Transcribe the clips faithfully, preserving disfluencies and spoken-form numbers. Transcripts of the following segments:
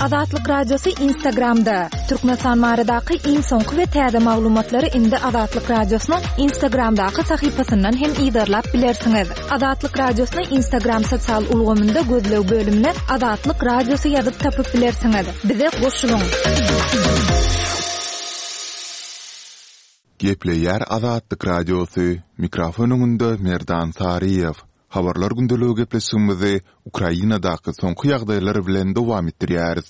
Azatlyk Radiosy Instagramda. Türkmenistan baradaky iň soňky we täze maglumatlary indi Azatlyk Radiosynyň Instagramdaky sahypasyndan hem yzarlap bilersiňiz. Azatlyk Radiosyny Instagram sosial ulgamynda gözleg bölümine Azatlyk Radiosy ýazyp tapyp bilersiňiz. Bize goşulyň. Gepleýär Azatlyk Radiosy, mikrofon öňünde Merdan Saryýew. Habarlar gündeligi gepleşigimizi Ukrainadaky soňky ýagdaýlar bilen dowam etdirýäris.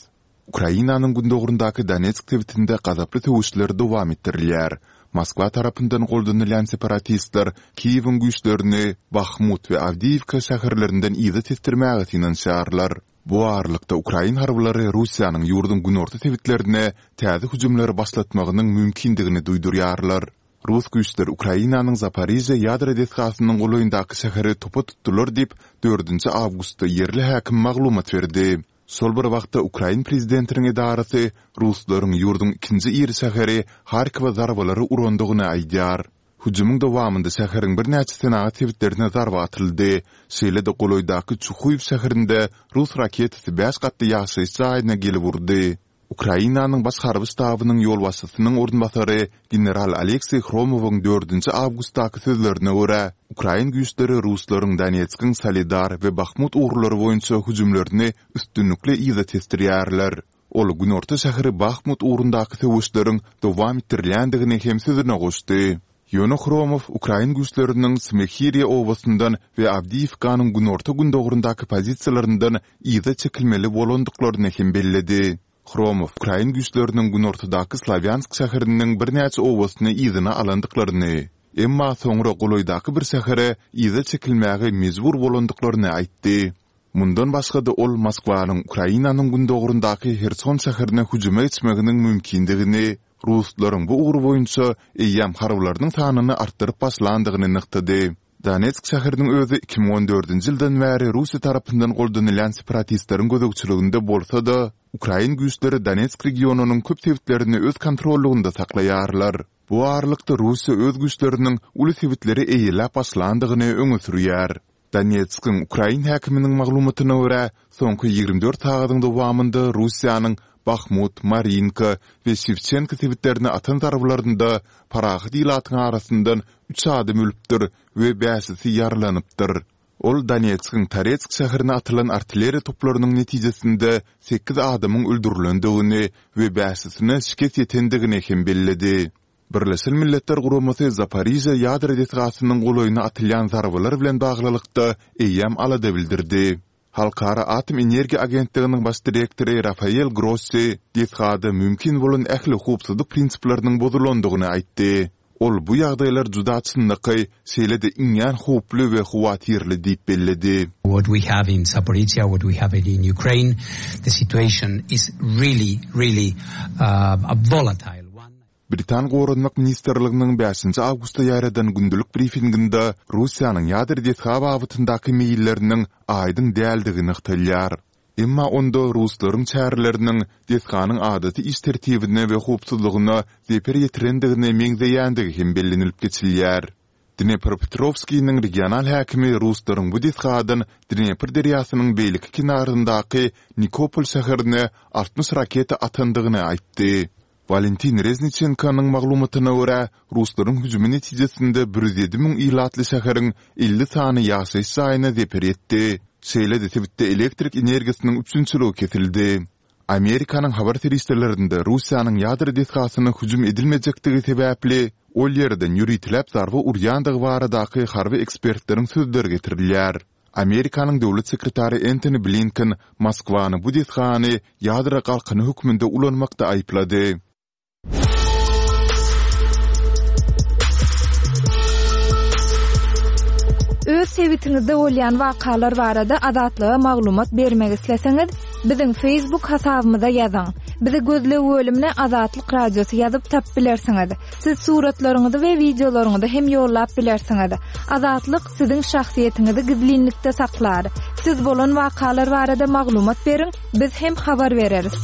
Ukrainanyň gündogaryndaky Donetsk sebitinde gazaply söweşler dowam etdirilýär. Moskwa tarapyndan goldanylýan separatistler Kiýewiň güýçlerini Bahmut we Awdiýiwka şäherlerinden yza tesdirmäge synanyşýarlar. Bu aralykda, ukrain harbylary Russiýanyň ýurduň günorta sebitlerine täze hüjümleri başlatmagynyň mümkindigini duýdurýarlar. Rus güýçleri Ukrainanyň Zaporižýa ýadro desgasynyň golaýyndaky şäheri topa tutdular diýip, dördünji awgustda ýerli häkim maglumat berdi. Şol bir wagtda, ukrain prezidentiniň edarasy ruslaryň ýurduň ikinji iri şäheri Harkowa zarbalary urandygyny aýdýar. Hüjümiň dowamynda şäheriň birnäçe senagat sebitlerine zarba atyldy. Şeýle-de golaýdaky Çuhuýew şäherinde rus raketasy bäş gatly ýaşaýyş jaýyna gelip urdy. Ukrainanyň Baş harby ştabynyň ýolbaşçysynyň orunbasary general Alekseý Hromowyň dördünji awgustdaky sözlerine görä, ukrain güýçleri ruslaryň Donetskiň Soledar we Bahmut ugurlary boýunça hüjümlerini üstünlikli yza tesdirýärler. Ol günorta şäheri Bahmut ugrundaky söweşleriň dowam etdirilýändigini hem sözüne goşdy. Ýöne Hromow ukrain güýçleriniň Smehiriýa obasyndan we Awdiýiwkanyň günorta-gündogaryndaky pozisiýalaryndan yza çekilmeli bolandyklaryny hem belledi. Hromow ukrain güýçleriniň günortadaky Slawýansk şäheriniň birnäçe obasyny yzyna alandyklaryny, emma soňra golaýdaky bir şähere yza çekilmäge mejbur bolandyklaryny aýtdy. Mundan başga-da ol Moskwanyň Ukrainanyň gündogaryndaky Herson şäherine hüjüme geçmeginiň mümkindigini, ruslaryň bu ugur boýunça eýýäm harbylarynyň sanyny artdyryp başlandygyny nygtady. Donetsk şäheriniň özi iki müň on dördünji ýyldan bäri Russiýa tarapyndan goldanylýan separatistleriň gözegçiliginde bolsa-da, ukrain güýçleri Donetsk regionynyň köp sebitlerini öz kontrollygynda saklaýarlar. Bu aralykda Russiýa öz güýçleriniň uly sebitleri eýeläp başlandygyny öňe sürýär. Donetskiň ukrain häkiminiň maglumatyna görä, soňky ýigrimi dört sagadyň dowamynda Russiýanyň Bahmut, Marinka we Şewçenko sebitlerine atan zarbalarynda parahat ilatyň arasyndan üç adam ölüpdir we bäşisi ýaralanypdyr. Ol Donetskiň Toretsk şäherine atylan artilleriýa toplarynyň netijesinde sekiz adamyň öldürilendigini we bäşisine şikes ýetendigini hem belledi. Birleşen Milletler Guramasy Zaporižýa ýadro desgasynyň golaýyna atylýan zarbalar bilen baglylykda eýýäm alada bildirdi. Halkara atom energiýa agentliginiň baş direktory Rafael Grossi desgada mümkin bolan ähli howpsuzlyk prinsipleriniň bozulandygyny aýtdy. Ol bu ýagdaýlar juda çynlakaý, şeýle-de iňňän howply we howatyrly diýip belledi. What we have in Zaporizhzhia, what we have in Ukraine, the situation is really, really a volatile one. Britan Goranmak ministrliginiň bäşinji awgustda ýaýradan gündelik brifinginde Russiýanyň ýadro desga babatyndaky meýilleriniň aýdyň däldigi nygtalýar. Emma onda ruslaryň çäreleriniň desganyň adaty iş tertibine we howpsuzlygyna zeper ýetirendigine meňzeýändigi hem bellenilip geçilýär. Dnepropetrowskiniň regional häkimi ruslaryň bu desgadan Dnepr derýasynyň beýleki kenaryndaky Nikopol şäherine altmyş raketa atandygyny aýtdy. Walentin Rezniçenkonyň maglumatyna görä, ruslaryň hüjümi netijesinde bir ýüz ýedi müň ilatly şäheriň elli sany ýaşaýyş jaýyna zeper ýetdi. Şeýle-de sebitde elektrik energiýasynyň üpjünçiligi kesildi. Amerikanyň habar serişdelerinde Russiýanyň ýadro desgasyna hüjüm edilmejekdigi sebäpli, ol ýerden ýöriteläp zarba urýandygy baradaky harby ekspertleriň sözleri getirilýär. Amerikanyň döwlet sekretary Entoni Blinken Moskwany bu desgany ýadro galkany hökmünde ulanmakda aýyplady. Öz sebitiňizde bolýan wakalar barada Azatlyga maglumat bermek isleseňiz, biziň Facebook hasabymyza ýazyň. Bizi gözleg bölümine Azatlyk Radiosy ýazyp tapyp bilersiňiz. Siz suratlaryňyzy we wideolaryňyzy hem ýollap bilersiňiz. Azatlyk siziň şahsyýetiňizi gizlinlikde saklar. Siz bolan wakalar barada maglumat beriň, biz hem habar bereris.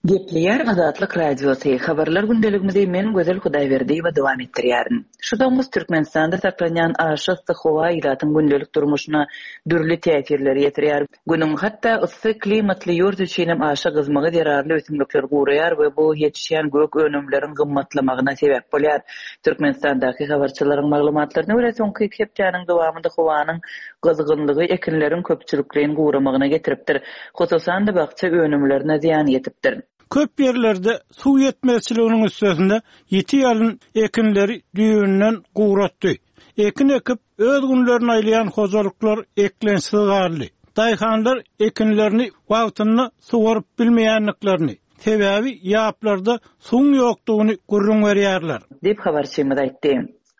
Gepleýär Azatlyk Radiosy, Habarlar gündeligimizi men Gözel Hudaýberdiýewa dowam etdirýärin. Şu tomus Türkmenistanda saklanýan aşa yssy howa ilatyň gündelik durmuşyna dürli täsirleri ýetirýär. Günüň hatda yssy klimatly ýurt üçin hem aşa gyzmagy zerarly ösümlikler guraýar we bu ýetişýän gök önümleriň gymmatlamagyna sebäp bolýar. Türkmenistandaky habarçylaryň maglumatlaryna görä, soňky iki hepdäniň dowamynda howanyň gyzgynlygy ekinleriň köpçülikleýin guramagyna getiripdir. Hususan-da bakja önümlerine zyýan ýetipdir. Köp ýerlerde suw ýetmezçiliginiň üstesinde ýiti ýalyn ekinleri düýbünden guratdy. Ekin ekip, öz günlerini aýlaýan hojalyklar eklençsiz galdy. Daýhanlar ekinlerini wagtynda suwaryp bilmeýändiklerini, sebäbi ýaplarda suwuň ýokdugyny gürrüň berýärler. Diýip, habarçymyz aýtdy.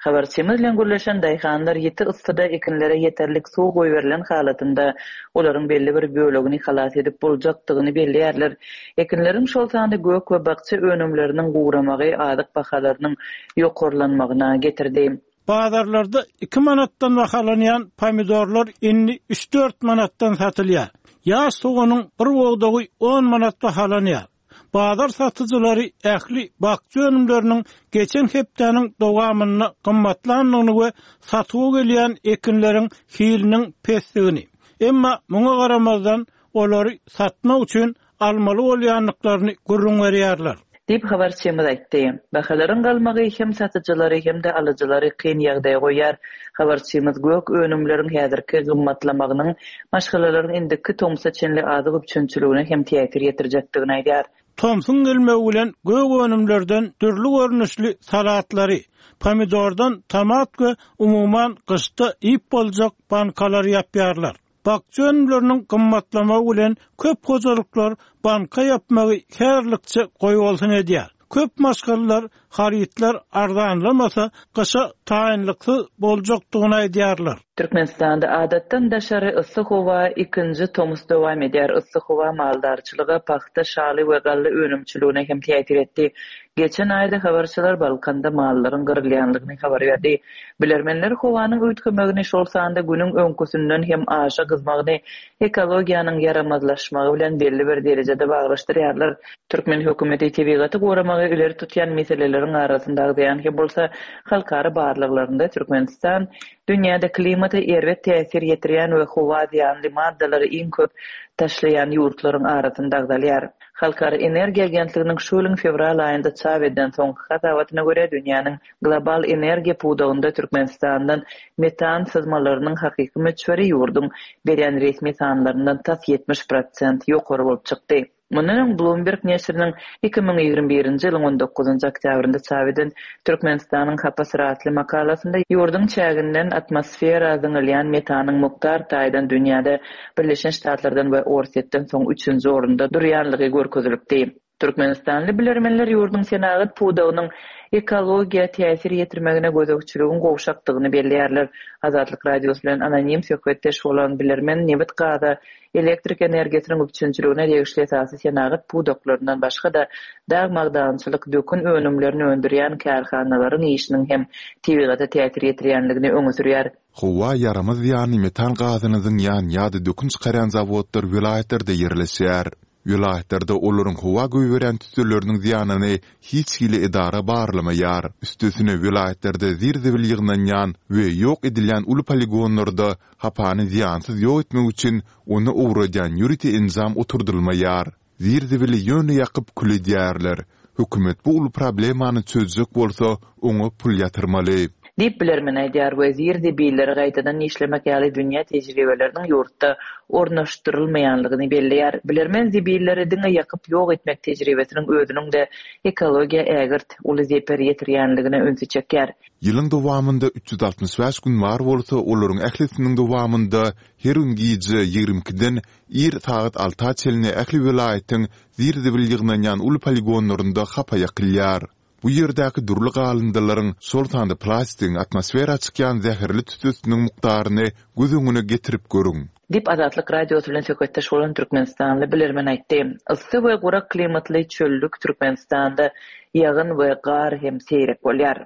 Habarçymyz bilen gürleşen daýhanlar ýiti yssyda ekinlere ýeterlik suw goýberilen halatynda olaryň belli bir bölegini halas edip boljakdygyny belleýärler. Ekinleriň, şol sanda gök we bakja önümleriniň guramagy azyk bahalarynyň ýokarlanmagyna getirdi. Bazarlarda iki manatdan bahalanýan pomidorlar indi üç-dört manatdan satylýar. Ýaş soganyň bir bogdagy on manat bahalanýar. Bazar satyjylary ähli bakja önümleriniň geçen hepdäniň dowamynda gymmatlandygyny we satuwa gelýän ekinleriň hiliniň pesdigini, emma muňa garamazdan olary satmak üçin almaly bolýandyklaryny gürrüň berýärler. Diýip, habarçymyz aýtdy. Bahalaryň galmagy hem satyjylary hem-de alyjylary kyn ýagdaýa goýýar. Habarçymyz gök önümleriň häzirki gymmatlamagynyň maşgalalaryň indiki tomsa çenli azyk üpjünçiligine hem täsir ýetirjekdigini aýdýar. Tomsuň gelmegi bilen gök önümlerden dürli görnüşli salatlary, pomidordan tomat we umuman gyşda iýip boljak bankalary ýapýarlar. Bakja önümleriniň gymmatlamagy bilen köp hojalyklar banka ýapmagy häzirlikçe goýbolsun edýär. Köp maşgalalar harytlar arzanlamasa gyşa taýynlyksyz boljakdygyny aýdýarlar. Türkmenistanda adatdan daşary yssy howa ikinji tomus dowam edýär. Yssy howa maldarçylyga, pagta, şaly we galla önümçiligine hem täsir etdi. Geçen aýda habarçylar Balkanda mallaryň gyrylýanlygyny habar berdi. Bilermenler howanyň üýtgemegini, şol sanda günüň öňküsinden hem aşa gyzmagyny ekologiýanyň ýaramazlaşmagy bilen belli bir derejede baglaşdyrýarlar. Türkmen hökümeti tebigaty goramagy ileri tutýan meseleleriň arasynda agzaýan hem bolsa, halkara barlaglarynda Türkmenistan dünýäde klimata erbet täsir ýetirýän we howa zyýanly maddalary iň köp taşlaýan ýurtlaryň arasynda agzalýar. Halkara energiýa agentliginiň şu ýylyň fewral aýynda çap edilen soňky hasabatyna görä, dünýäniň global energiýa pudagynda Türkmenistandan metan syzmalarynyň hakyky möçberi ýurduň berýän resmi sanlaryndan tas ýetmiş prosent ýokary bolup çykdy. Mundan öň Bloomberg neşiriniň iki müň ýigrimi birinji ýylyň on dokuzynjy oktýabrynda çap eden Türkmenistanyň hapa syratly makalasynda ýurduň çäginden atmosfera zyňylýan metanyň mukdar taýdan dünýäde Birleşen Ştatlardan we Orsýetden soň üçünji orunda durýanlygy görkezilipdi. Türkmenistanly bilermenler ýurduň senagat pudagynyň ekologiýa täsir ýetirmegine gözegçiligiň gowşakdygyny belleýärler. Azatlyk Radiosy bilen anonim söhbetdeş bolan bilermen nebit gaza, elektrik energiýasynyň üpjünçiligine degişli esasy senagat pudaklaryndan başga-da dag magdançylyk, dökün önümlerini öndürýän kärhanalaryň işiniň hem tebigata täsir ýetirýänligini öňe sürýär. Howa ýaramaz zyýanly metan gazyny zyňýan ýa-da dökün çykarýan zawodlar welaýatlarda ýerleşýär. Welaýatlarda olaryň howa goýberýän tüsseleriniň zyýanyny hiç hili edara barlamaýar. Üstesine welaýatlarda zir-zibil ýygnanýan we ýok edilýän uly poligonlarda hapany zyýansyz ýok etmek üçin ony ugradýan ýörite enjam oturdylmaýar. Zir-zibili ýöne ýakyp kül edýärler. Hökümet bu uly problemany çözjek bolsa oňa pul ýatyrmaly. Diýip bilermen aýdýar we zir-zibilleri gaýtadan işlemek ýaly dünýä tejribeleriniň ýurtda ornaşdyrylmaýanlygyny belleýär. Bilermen zibilleri diňe ýakyp ýok etmek tejribesiniň özüniň de ekologiýa ägirt uly zeper ýetirýänligine ünsi çekýär. Ýylyň dowamynda üç ýüz altmyş bäş gün bar bolsa, olaryň ählisiniň dowamynda her gün gije ýigrimi ikiden ir sagat alta çenli ähli welaýatyň zir-zibil ýygnanýan uly poligonlarynda hapa ýakylýar. Bu ýerdäki dürli galyndylaryň, şol sanda plastigiň atmosfera çykýan zäherli tüssesiniň mukdaryny göz öňüne getirip görüň. Diýip Azatlyk Radiosy bilen söhbetdeş bolan Türkmenistanly bilermen aýtdy. Yssy we gurak klimatly çöllük Türkmenistanda ýagyn we gar hem seýrek bolýar.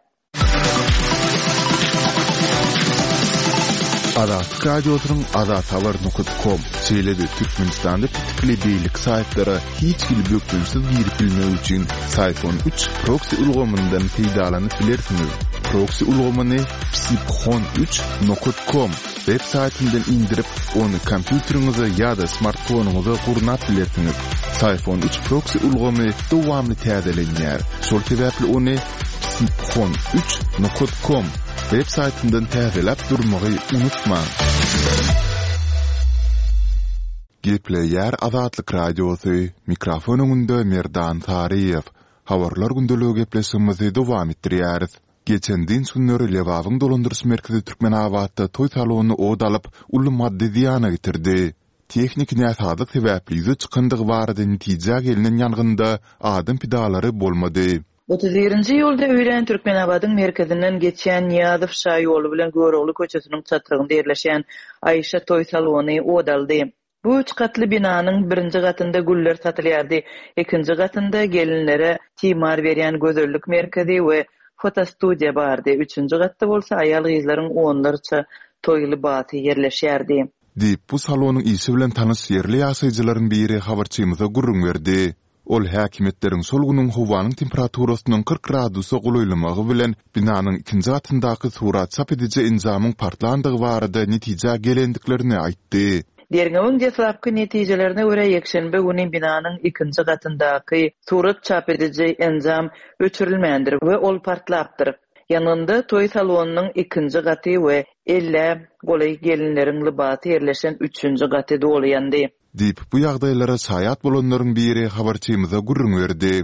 Azatlyk Radiosynyň azathabar nokat kom, şeýle-de Türkmenistanda petikli beýleki saýtlara hiç hili bökdençsiz girip bilmek üçin Syfon üç proksi ulgamyndan peýdalanyp bilersiňiz. Proksi ulgamyny psiphon üç nokat kom web saýtyndan indirip, ony kompýuteriňize ýa-da smartfonyňyza gurnap bilersiňiz. Syfon üç proksi ulgamy dowamly täzelenýär. Şol sebäpli ony psiphon üç nokat kom web saýtyndan täzeläp durmagy unutmaň. Gepleýär Azatlyk Radiosy, mikrofon öňünde Merdan Saryýew. Habarlar gündeligi gepleşigimizi dowam etdirýäris. Geçen dynç günleri Lebabyň dolandyryş merkezi Türkmenabatda toý salony ot alyp, uly maddy zyýana getirdi. Tehniki näsazlyk sebäpli ýüze çykandygy barada netijä gelnen ýangynda adam pidalary bolmady. Otuz birinji iýulda öýlän Türkmenabadyň merkezinden geçýän Nyýazow şaýoly bilen Görogly köçesiniň çatrygynda ýerleşýän Aýşa toý salony ot aldy. Bu üç gatly binanyň birinji gatynda güller satylýardy, ikinji gatynda gelinlere timar berýän gözellik merkezi we fotostudiýa bardy, üçünji gatda bolsa aýal-gyzlaryň onlarça toý lybasy ýerleşýärdi. Diýip, bu salonyň işi bilen tanyş ýerli ýaşaýjylaryň biri habarçymyza gürrüň berdi. Ol häkimiýetleriň şol günüň howanyň temperaturasynyň kyrk gradusa golaýlamagy bilen binanyň ikinji gatyndaky surat çap ediji enjamyň partlandygy barada netijä gelendiklerini aýtdy. Derňewiň deslapky netijelerine görä, ýekşenbe güni binanyň ikinji gatyndaky surat çap ediji enjam öçürilmändir we ol partlapdyr. Ýangynda toý salonynyň ikinji gaty we ellä golaý gelinleriň lybasy ýerleşen üçünji gaty doly ýandy. Diýip, bu ýagdaýlara şaýat bolanlaryň biri habarçymyza gürrüň berdi.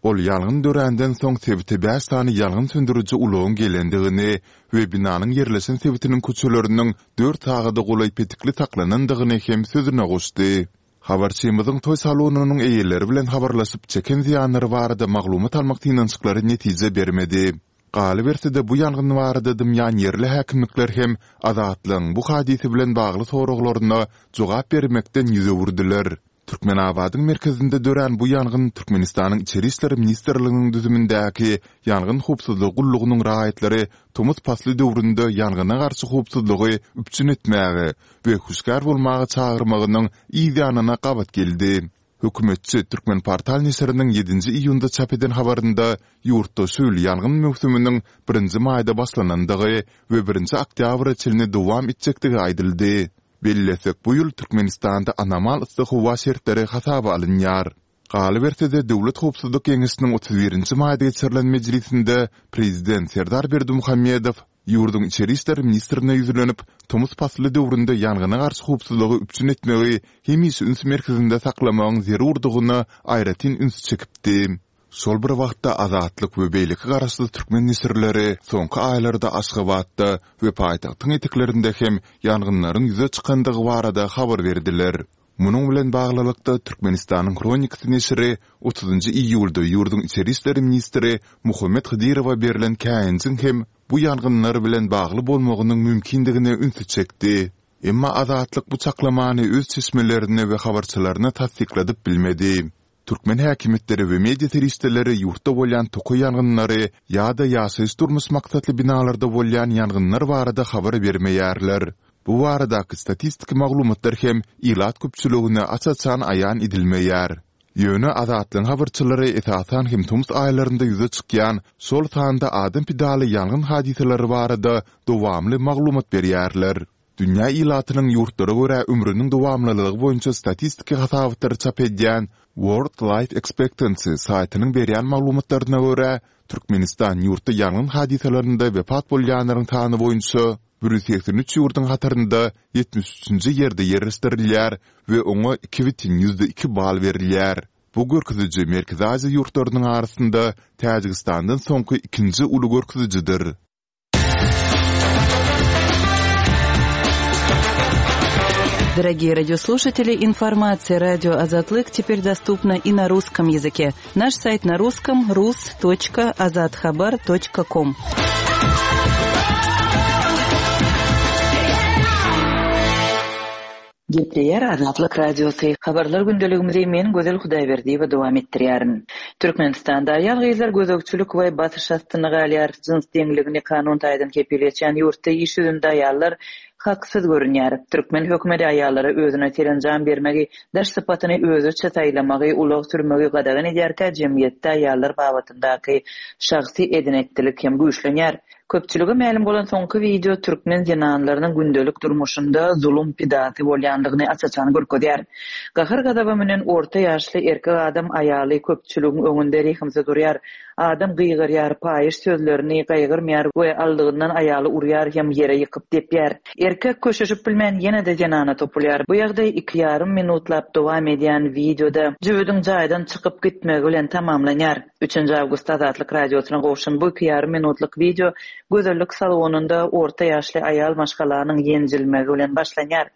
Ol ýangyn döränden soň sebite bäş sany ýangyn söndüriji ulagyň gelendigini we binanyň ýerleşen sebitiniň köçeleriniň dört sagada golaý petikli saklanandygyny hem sözüne goşdy. Habarçymyzyň toý salonynyň eýeleri bilen habarlaşyp, çeken zyýanlary barada maglumat almak synanyşyklary netije bermedi. Galyberse-de, bu ýangyn barada dymýan ýerli häkimlikler hem Azatlygyň bu hadysa bilen bagly soraglaryna jogap bermekden ýüz öwürdiler. Türkmenabadyň merkezinde dörän bu ýangyn Türkmenistanyň Içeri işler ministrliginiň düzümindäki Ýangyn howpsuzlygy gullugynyň raýatlary tomus pasly döwründe ýangyna garşy howpsuzlygy üpjün etmäge we hüşgär bolmaga çagyrmagynyň yz ýanyna gabat geldi. Hökümetçi Türkmenportal neşiriniň ýedinji iýunda çap eden habarynda ýurtda şu ýyl ýangyn möwsüminiň birinji maýda başlanandygy we birinji oktýabra çenli dowam etjekdigi aýdyldy. Bellesek, bu ýyl Türkmenistanda anomal yssy howa şertleri hasaba alynýar. Galyberse-de, Döwlet howpsuzlyk geňeşiniň otuz birinji maýda geçirilen mejlisinde prezident Serdar Berdimuhamedow ýurduň içeri işler ministrine ýüzlenip, tomus pasly döwründe ýangyna garşy howpsuzlygy üpjün etmegi hemişe üns merkezinde saklamagyň zerurdygyna aýratyn üns çekipdi. Şol bir wagtda, Azatlyk we beýleki garaşsyz türkmen neşirleri soňky aýlarda Aşgabatda we paýtagtyň eteklerinde hem ýangynlaryň ýüze çykandygy barada habar berdiler. Munuň bilen baglylykda, Türkmenistanyň Hronikasy neşiri otuzynjy iýulda ýurduň içeri işler ministri Muhammet Hydyrowa berlen käýinjiň hem bu ýangynlar bilen bagly bolmagynyň mümkindigine ünsi çekdi. Emma Azatlyk bu çaklamany öz çeşmelerine we habarçylaryna tassykladyp bilmedi. Türkmen häkimiýetleri we media serişdeleri ýurtda bolýan tokaý ýangynlary ýa-da ýaşaýyş-durmuş maksatly binalarda bolýan ýangynlar barada habar bermeýärler. Bu baradaky statistiki maglumatlar hem ilat köpçüligine aç-açan aýan edilmeýär. Ýöne Azatlygyň habarçylary esasan hem tomus aýlarynda ýüze çykýan, şol sanda adam pidaly ýangyn hadysalary barada dowamly maglumat berýärler. Dünýä ilatynyň ýurtlara görä ömrüniň dowamlylygy boýunça statistiki hasabatlary çap edýän World Life Expectancy saýtynyň berýän maglumatlaryna görä, Türkmenistan ýurtda ýangyn hadysalarynda wepat bolýanlaryň sany boýunça bir ýüz segsen üç ýurduň hatarynda ýetmiş üçünji ýerde ýerleşdirilýär we oňa iki bütin ýüzde iki bal berilýär. Bu görkeziji Merkezi Aziýa ýurtlarynyň arasynda Täjigistandan soňky ikinji uly görkezijidir. Дорогие радиослушатели, информация радио Азатлык теперь доступна и на русском языке. Наш сайт на русском rus.azathabar.com. Gepleýär Azatlyk Radiosy. Habarlar gündeligimizi men Gözel Hudaýberdiýewa dowam etdirýärin. Türkmenistanda aýal-gyzlar gözegçilik we basyş astynda galýar. Jyns deňligini kanun taýdan kepil geçýän ýurtda iş ýüzünde aýallar Haksyz görünýär. Türkmen hökümeti aýallara özüne serenjam bermegi, daş sypatyny özüçe saýlamagy, ulag sürmegi gadagan edýärkä jemgyýetde aýallar babatyndaky şahsy eden-etdilik hem güýçlenýär. Köpçülige mälim bolan soňky wideo türkmen zenanlarynyň gündelik durmuşynda zulum pidasy bolýandygyny aç-açan görkezýär. Gahar-gazaba münen orta ýaşly erkek adam aýaly köpçüligiň öňünde rehimsiz urýar. Adam gygyrýar, paýyş sözlerini gaýgyrmaýar we aldygyndan aýaly urýar hem ýere ýykyp depýär. Erkek köşeşip bilmän ýene-de zenana topulýar. Bu ýagdaý iki ýarym minutlap dowam edýän wideoda jübüdiň jaýdan çykyp gitmegi bilen tamamlanýar. Üçünji awgustda Azatlyk Radiosyna gowşan bu iki ýarym minutlyk wideo gözellik salonynda orta ýaşly aýal maşgalanyň ýenjilmegi bilen başlanýar.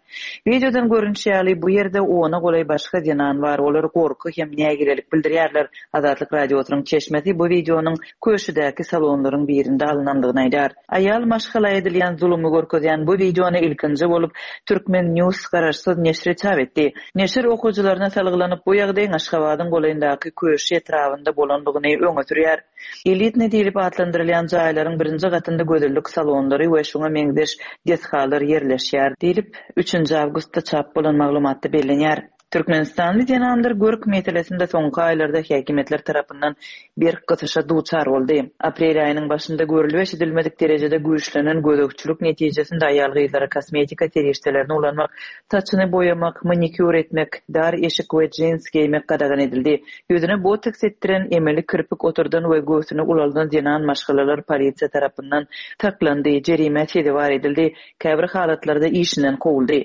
Wideodan görünüşi ýaly bu ýerde ona golaý başga zenan bar. Olar gorky hem nägilelik bildirýärler. Azatlyk Radiosynyň çeşmesi bu wideonyň köşüdäki salonlaryň birinde alynandygyny aýdar. Aýal maşgala edilýän zulumy görkezýän bu wideony ilkinji bolup Türkmen News garaşsyz neşiri çap etdi. Neşir okyjylaryna salgylanyp bu ýagdaýyň Aşgabadyň golaýyndaky köşi etrabynda bolandygyny öňe sürýär. Elitne diýlip atlandyrylýan jaýlaryň birinji gatynda gözellik salonlary we şoňa meňzeş desgalar ýerleşýär diýlip üçünji awgustda çap bolan maglumatda bellenýär. Türkmenistanly zenanlar görk meselesinde soňky aýlarda häkimiýetler tarapyndan berk gysyşa duçar boldy. Aprel aýynyň başynda görülip eşidilmedik derejede güýçlenen gözegçilik netijesinde aýal gyzlara kosmetika serişdelerini ulanmak, saçyny boýamak, manikýur etmek, dar eşik we jins geýmek gadagan edildi. Ýüzüne botoks etdiren, emeli kirpik oturdan we göwsüni ulaldan zenan maşgalalar polisiýa tarapyndan saklandy, jerime sezewar edildi, käbir halatlarda işinden kowuldy.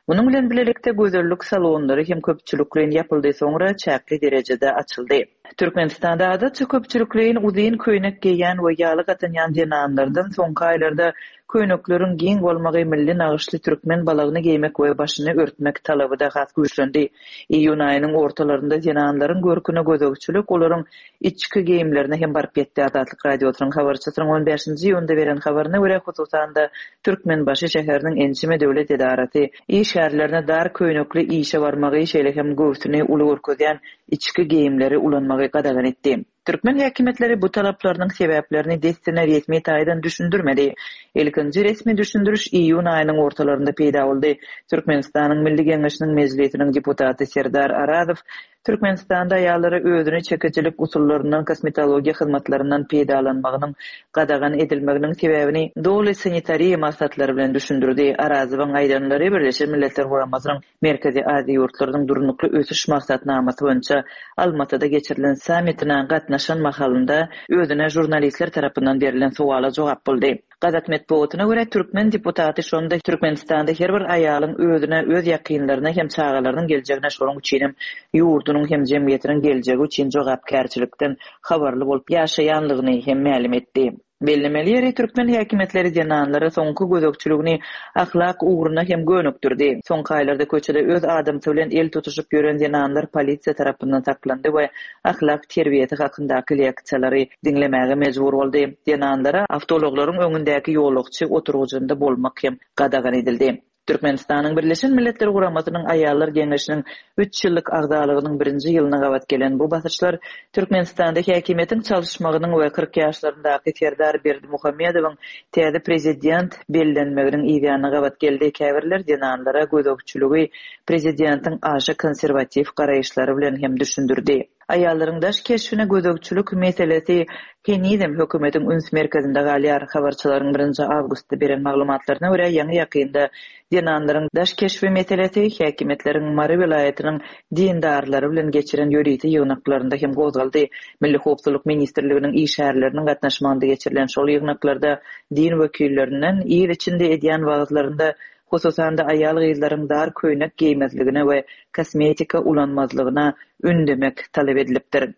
Munuň bilen birlikde gözellik salonlary hem köpçülikleýin ýapyldy, soňra çäkli derejede açyldy. Türkmenistanda adatça köpçülikleýin uzyn köýnek geýen we ýaly gatanýan zenanlardan soňky aýlarda köýnekleriň giň bolmagy, milli nagyşly türkmen balagyny geýmek we başyny örtmek talaby da has güýçlendi. Iýun aýynyň ortalarynda zenanlaryň görküne gözegçilik, olaryň içki geýimlerine hem baryp ýetdi. Azatlyk Radiosynyň habarçysynyň on bäşinji iýunda beren habaryna görä, hususan-da Türkmenbaşy şäheriniň ençeme döwlet edarasy işgärlerine dar köýnekli işe barmagy, şeýle hem göwsüni uly görkezýän içki geýimleri ulanmagy gadagan etdi. Türkmen häkimiýetleri bu talaplarynyň sebäplerini dessine resmi taýdan düşündirmedi. Ilkinji resmi düşündiriş iýun aýynyň ortalarynda peýda boldy. Türkmenistanyň Milli Geňeşiniň Mejlisiniň deputaty Serdar Arazow Türkmenistanda aýallara özüni çekicilik usullaryndan, kosmetologiýa hyzmatlaryndan peýdalanmagynyň gadagan edilmeginiň sebäbini doly sanitariýa maksatlary bilen düşündirdi. Arazowyň aýdanlary Birleşen Milletler Guramasynyň Merkezi Aziýa ýurtlarynyň durnukly ösüş maksatnamasy boýunça Almatyda geçirilen sammitine gatnaşan mahalynda özüne žurnalistler tarapyndan berilen sowala jogap boldy. Gazak metbugatyna görä türkmen deputaty şonda Türkmenistanda her bir aýalyň özüne, öz ýakynlaryna hem çagalarynyň geljegine, şonuň üçin hem ýurdunyň hem jemgyýetiniň geljegi üçin jogapkärçilikden habarly bolup ýaşaýanlygyny hem mälim etdi. Bellemeli ýeri türkmen häkimiýetleri zenanlara soňky gözegçiligini ahlak ugruna hem gönükdirdi. Soňky aýlarda köçede öz adamsy bilen el tutuşyp ýören zenanlar polisiýa tarapyndan saklandy we ahlak terbiýesi hakyndaky leksiýalary diňlemäge mejbur boldy. Zenanlara awtoulaglaryň öňündäki ýolagçy oturgyjynda bolmak hem gadagan edildi. Türkmenistanyň Birleşen Milletler Guramasynyň Aýallar Geňeşiniň üç ýyllyk agzalygynyň birinji ýylyna gabat gelen bu basyşlar Türkmenistanda häkimiýetiň çalyşmagynyň we kyrk ýaşlaryndaky Serdar Berdimuhamedowyň täze prezident bellenmeginiň ýanyna gabat geldi. Käbirler zenanlara gözegçiligi prezidentiň aşa konserwatiw garaýyşlary bilen hem düşündirdi. Aýallaryň daş keşbine gözegçilik meselesi henizem hökümetiň üns merkezinde galýar. Habarçylaryň birinji awgustda beren maglumatlaryna görä, ýaňy ýakynda zenanlaryň daş keşbi meselesi häkimiýetleriň Mary welaýatynyň dindarlary bilen geçiren ýörite ýygnaklarynda hem gozgaldy. Milli Howpsuzlyk Ministrliginiň işgärleriniň gatnaşmagynda geçirilen şol ýygnaklarda din wekillerinden il içinde edýän wagyzlarynda hususan-da aýal gyzlaryň dar köýnek geýmezligine we kosmetika ulanmazlygyna ündemek talap edilipdir.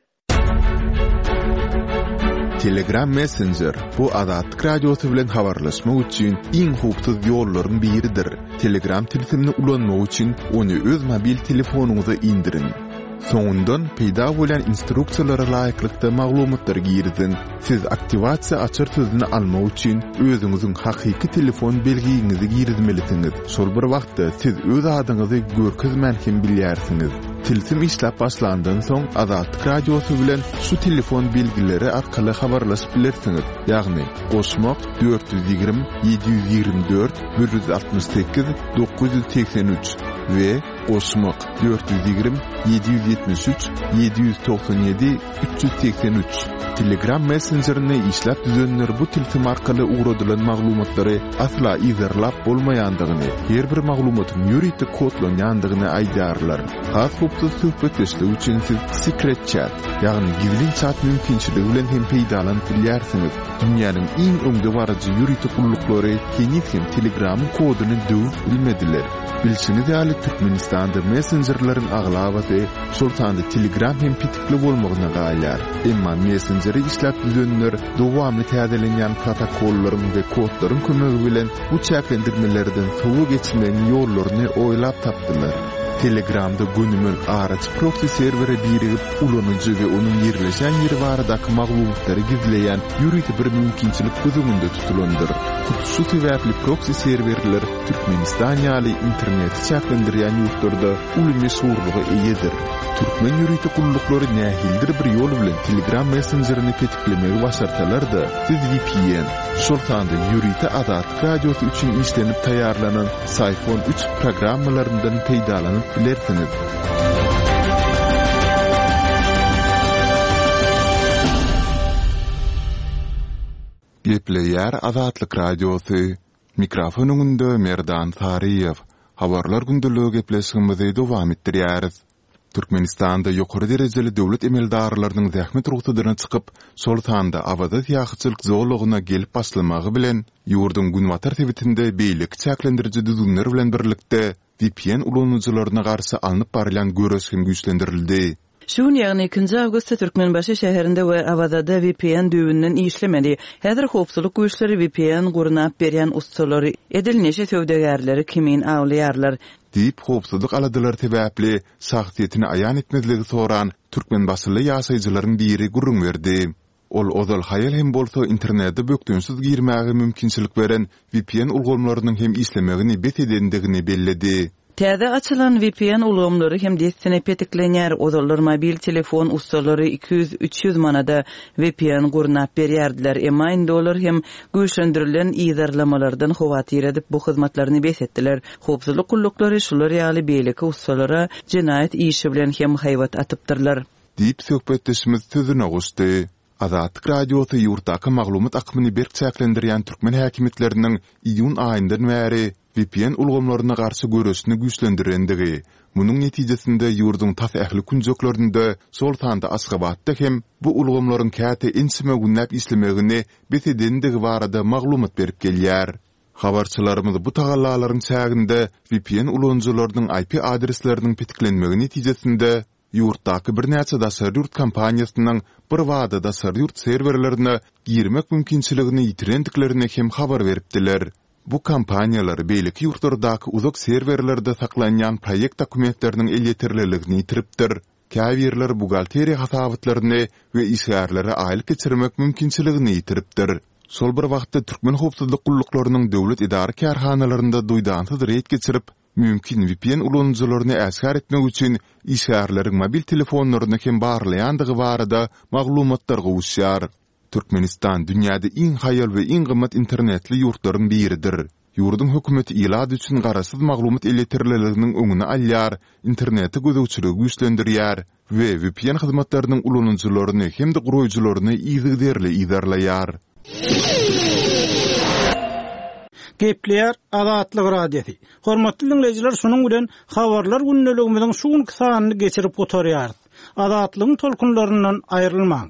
Telegram Messenger bu Azatlyk Radiosy bilen habarlaşmak üçin iň howpsuz ýollaryň biridir. Telegram tilsimini ulanmak üçin ony öz mobil telefonyňyza indiriň. Soňundan peýda bolan instruksiýalara laýyklykda maglumatlary giriziň. Siz aktiwasiýa açar sözüni almak üçin özüňiziň hakyky telefon belgiňizi girizmelisiňiz. Şol bir wagtda siz öz adyňyzy görkezmän hem bilýärsiňiz. Tilsim işläp başlandan soň Azatlyk Radiosy bilen şu telefon belgileri arkaly habarlaşyp bilersiňiz, ýagny goşmak dört ýüz ýigrimi ýedi ýüz ýigrimi dört bir ýüz altmyş sekiz dokuz ýüz segsen üç we goşmak dört ýüz ýigrimi ýedi ýüz ýetmiş üç ýedi ýüz togsan ýedi üç ýüz segsen üç. Telegram messenjerini işläp düzenler bu tilsim arkaly ugradylan maglumatlary asla yzarlap bolmaýandygyny, her bir maglumatyň ýörite kodlanýandygyny aýdýarlar. Has howpsuz söhbetdeşlik üçin siz Secret Chat, ýagny gizlin çat mümkinçiligi bilen hem peýdalanyp bilýärsiňiz. Dünýäniň iň öňdebaryjy ýörite gulluklary heniz hem Telegramyň koduny döwüp bilmediler. Bilşiňiz ýaly, Türkmenistanda messenjerleriň aglabasy, şol sanda Telegram hem petikli bolmagyna galýar. Emma messenjeri işläp düzenler dowamly täzelenýän protokollaryň we kodlaryň kömegi bilen bu çäklendirmelerden sowa geçmegiň ýollaryny oýlap tapdylar. Telegramda gönümel araçy proksi serwere birigip, ulanyjy we onuň ýerleşen ýeri baradaky maglumatlary gizleýän ýörite bir mümkinçilik göz öňünde tutulandyr. Hut şu sebäpli proksi serwerler Türkmenistan ýaly interneti çäklendirýän ýurtlarda uly meşhurlyga eýedir. Türkmen ýörite gulluklary nähilidir bir ýol bilen Telegram messenjerini petiklemegi başarsalar-da, siz V P N, şol sanda ýörite Azatlyk Radiosy üçin işlenip taýýarlanan Psiphon üç programmalaryndan peýdalanyp bilersiňiz. Gepleýär Azatlyk Radiosy. Mikrofon öňünde Merdan Saryýew. Habarlar gündeligi gepleşigimizi dowam etdirýäris. Türkmenistanda ýokary derejeli döwlet emeldarlarynyň zähmet rugsadyna çykyp, şol sanda Awaza syýahatçylyk zolagyna gelip başlamagy bilen ýurduň günbatar sebitinde beýleki çäklendiriji düzgünler bilen birlikde V P N ulanyjylaryna garşy alnyp barylýan göreş hem güýçlendirildi. Şu gün ýagny ikinji awgustda Türkmenbaşy şäherinde we Awazada V P N düwünden işlemedi. Häzir howpsuzlyk güýçleri V P N gurnap berýän ussalary edil neşe söwdagärleri kimin awlaýarlar. Diýip howpsuzlyk aladalary sebäpli şahsyýetini aýan etmezligi soran Türkmenbaşyly ýaşaýjylaryň biri gürrüň berdi. Ol ozal haýal hem bolsa internete bökdençsiz girmäge mümkinçilik beren V P N ulgamlarynyň hem işlemegini bes edendigini belledi. Täze açylan V P N ulgamlary hem dessine petiklenýär. Ozallar mobil telefon ussalary iki ýüz, üç ýüz manada V P N gurnap berýärdiler. Emma indi olar hem güýçlendirilen yzarlamalardan howatyr edip bu hyzmatlaryny bes etdiler. Howpsuzlyk gulluklary şular ýaly beýleki ussalara jenaýat işi bilen hem haýbat atypdyrlar. Diýip söhbetdeşimiz sözüne goşdy. Azatlyk Radiosy ýurtdaky maglumat akymyny berk çäklendirýän türkmen häkimiýetleriniň iýun aýyndan bäri V P N ulgamlaryna garşy göreşini güýçlendirendigi, munuň netijesinde ýurduň tas ähli künjeklerinde, şol sanda Aşgabatda hem bu ulgamlaryň käte ençeme günläp işlemegini bes edendigi barada maglumat berip gelýär. Habarçylarymyz bu tagallalaryň çäginde V P N ulanyjylarynyň I P adresleriniň petiklenmegi netijesinde ýurtdaky birnäçe daşary ýurt kompaniýasynyň bir wada daşary ýurt serwerlerine girmek mümkinçiligini ýitirendiklerini hem habar beripdiler. Bu kompaniýalar beýleki ýurtlardaky uzak serwerlerde saklanýan proýekt dokumentleriniň elýeterliligini ýitiripdir. Käbirler buhgalteriýa hasabatlaryny we işgärlere aýlyk geçirmek mümkinçiligini ýitiripdir. Şol bir wagtda türkmen howpsuzlyk gulluklarynyň döwlet edara kärhanalarynda duýdansyz reýd geçirip, mümkin V P N ulanyjylaryny äşgär etmek üçin işgärleriň mobil telefonlaryny hem barlaýandygy barada maglumatlar gowuşýar. Türkmenistan dünýäde iň haýal we iň gymmat internetli ýurtlaryň biridir. Ýurduň hökümeti ilat üçin garaşsyz maglumat elýeterliliginiň öňüni alýar, internete gözegçiligi güýçlendirýär we V P N hyzmatlarynyň ulanyjylaryny hem-de guraýjylaryny yzygiderli yzarlaýar. Gepleýär Azatlyk Radiosy. Hormatly dinleýjiler, şunuň bilen habarlar gündeligimiziň şu günki sanyny geçirip gutarýarys. Azatlygyň tolkunlaryndan aýrylmaň.